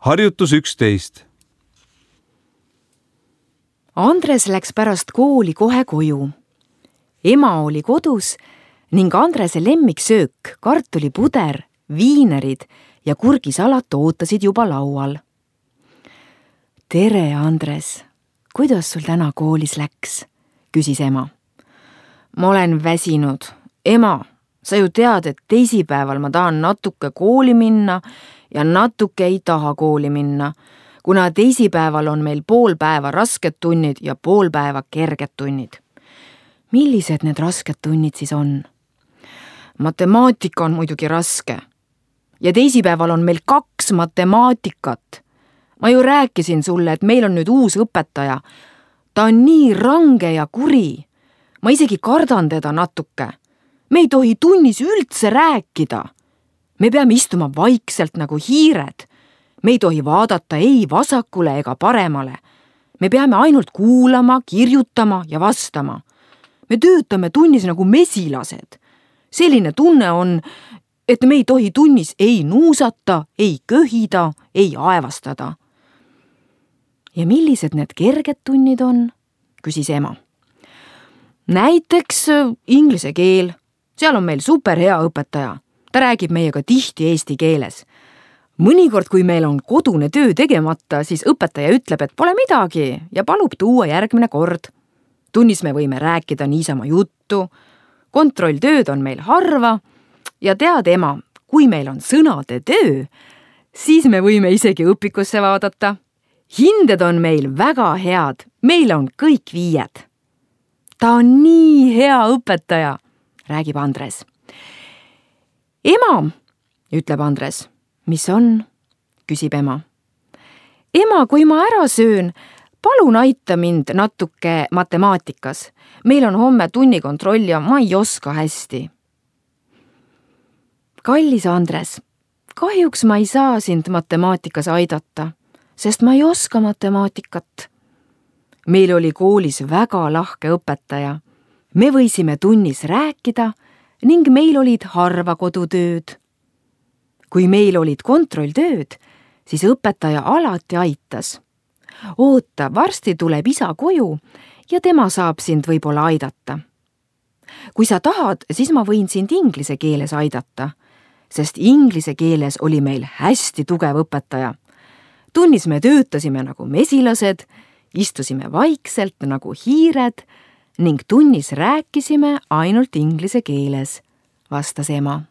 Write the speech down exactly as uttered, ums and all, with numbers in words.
harjutus üksteist. Andres läks pärast kooli kohe koju. Ema oli kodus ning Andrese lemmiksöök, kartulipuder, viinerid ja kurgisalat ootasid juba laual. Tere, Andres! Kuidas sul täna koolis läks? Küsis ema. Ma olen väsinud. Ema, sa ju tead, et teisipäeval ma tahan natuke kooli minna ja natuke ei taha kooli minna, kuna teisipäeval on meil pool päeva rasked tunnid ja pool päeva kerged tunnid. Millised need rasked tunnid siis on? Matemaatika on muidugi raske. Ja teisipäeval on meil kaks matemaatikat. Ma ju rääkisin sulle, et meil on nüüd uus õpetaja. Ta on nii range ja kuri. Ma isegi kardan teda natuke. Me ei tohi tunnis üldse rääkida. Me peame istuma vaikselt nagu hiired. Me ei tohi vaadata ei vasakule ega paremale. Me peame ainult kuulama, kirjutama ja vastama. Me töötame tunnis nagu mesilased. Selline tunne on, et me ei tohi tunnis ei nuusata, ei köhida, ei aevastada. Ja millised need kerged tunnid on? Küsis ema. Näiteks inglise keel. Seal on meil superhea õpetaja. Ta räägib meiega tihti eesti keeles. Mõnikord, kui meil on kodune töö tegemata, siis õpetaja ütleb, et pole midagi ja palub tuua järgmine kord. Tunnis me võime rääkida niisama juttu. Kontrolltööd on meil harva ja tead, ema, kui meil on sõnade töö, siis me võime isegi õpikusse vaadata. Hinded on meil väga head, meil on kõik viied. Ta on nii hea õpetaja, räägib Andres. Ema, ütleb Andres. Mis on? Küsib ema. Ema, kui ma ära söön, palun aita mind natuke matemaatikas. Meil on homme tunnikontroll ja ma ei oska hästi. Kallis Andres, kahjuks ma ei saa sind matemaatikas aidata, sest ma ei oska matemaatikat. Meil oli koolis väga lahke õpetaja. Me võisime tunnis rääkida ning meil olid harva kodutööd. Kui meil olid kontrolltööd, siis õpetaja alati aitas. Oota, varsti tuleb isa koju ja tema saab sind võib-olla aidata. Kui sa tahad, siis ma võin sind inglise keeles aidata, sest inglise keeles oli meil hästi tugev õpetaja. Tunnis me töötasime nagu mesilased, istusime vaikselt nagu hiired ning tunnis rääkisime ainult inglise keeles, vastas ema.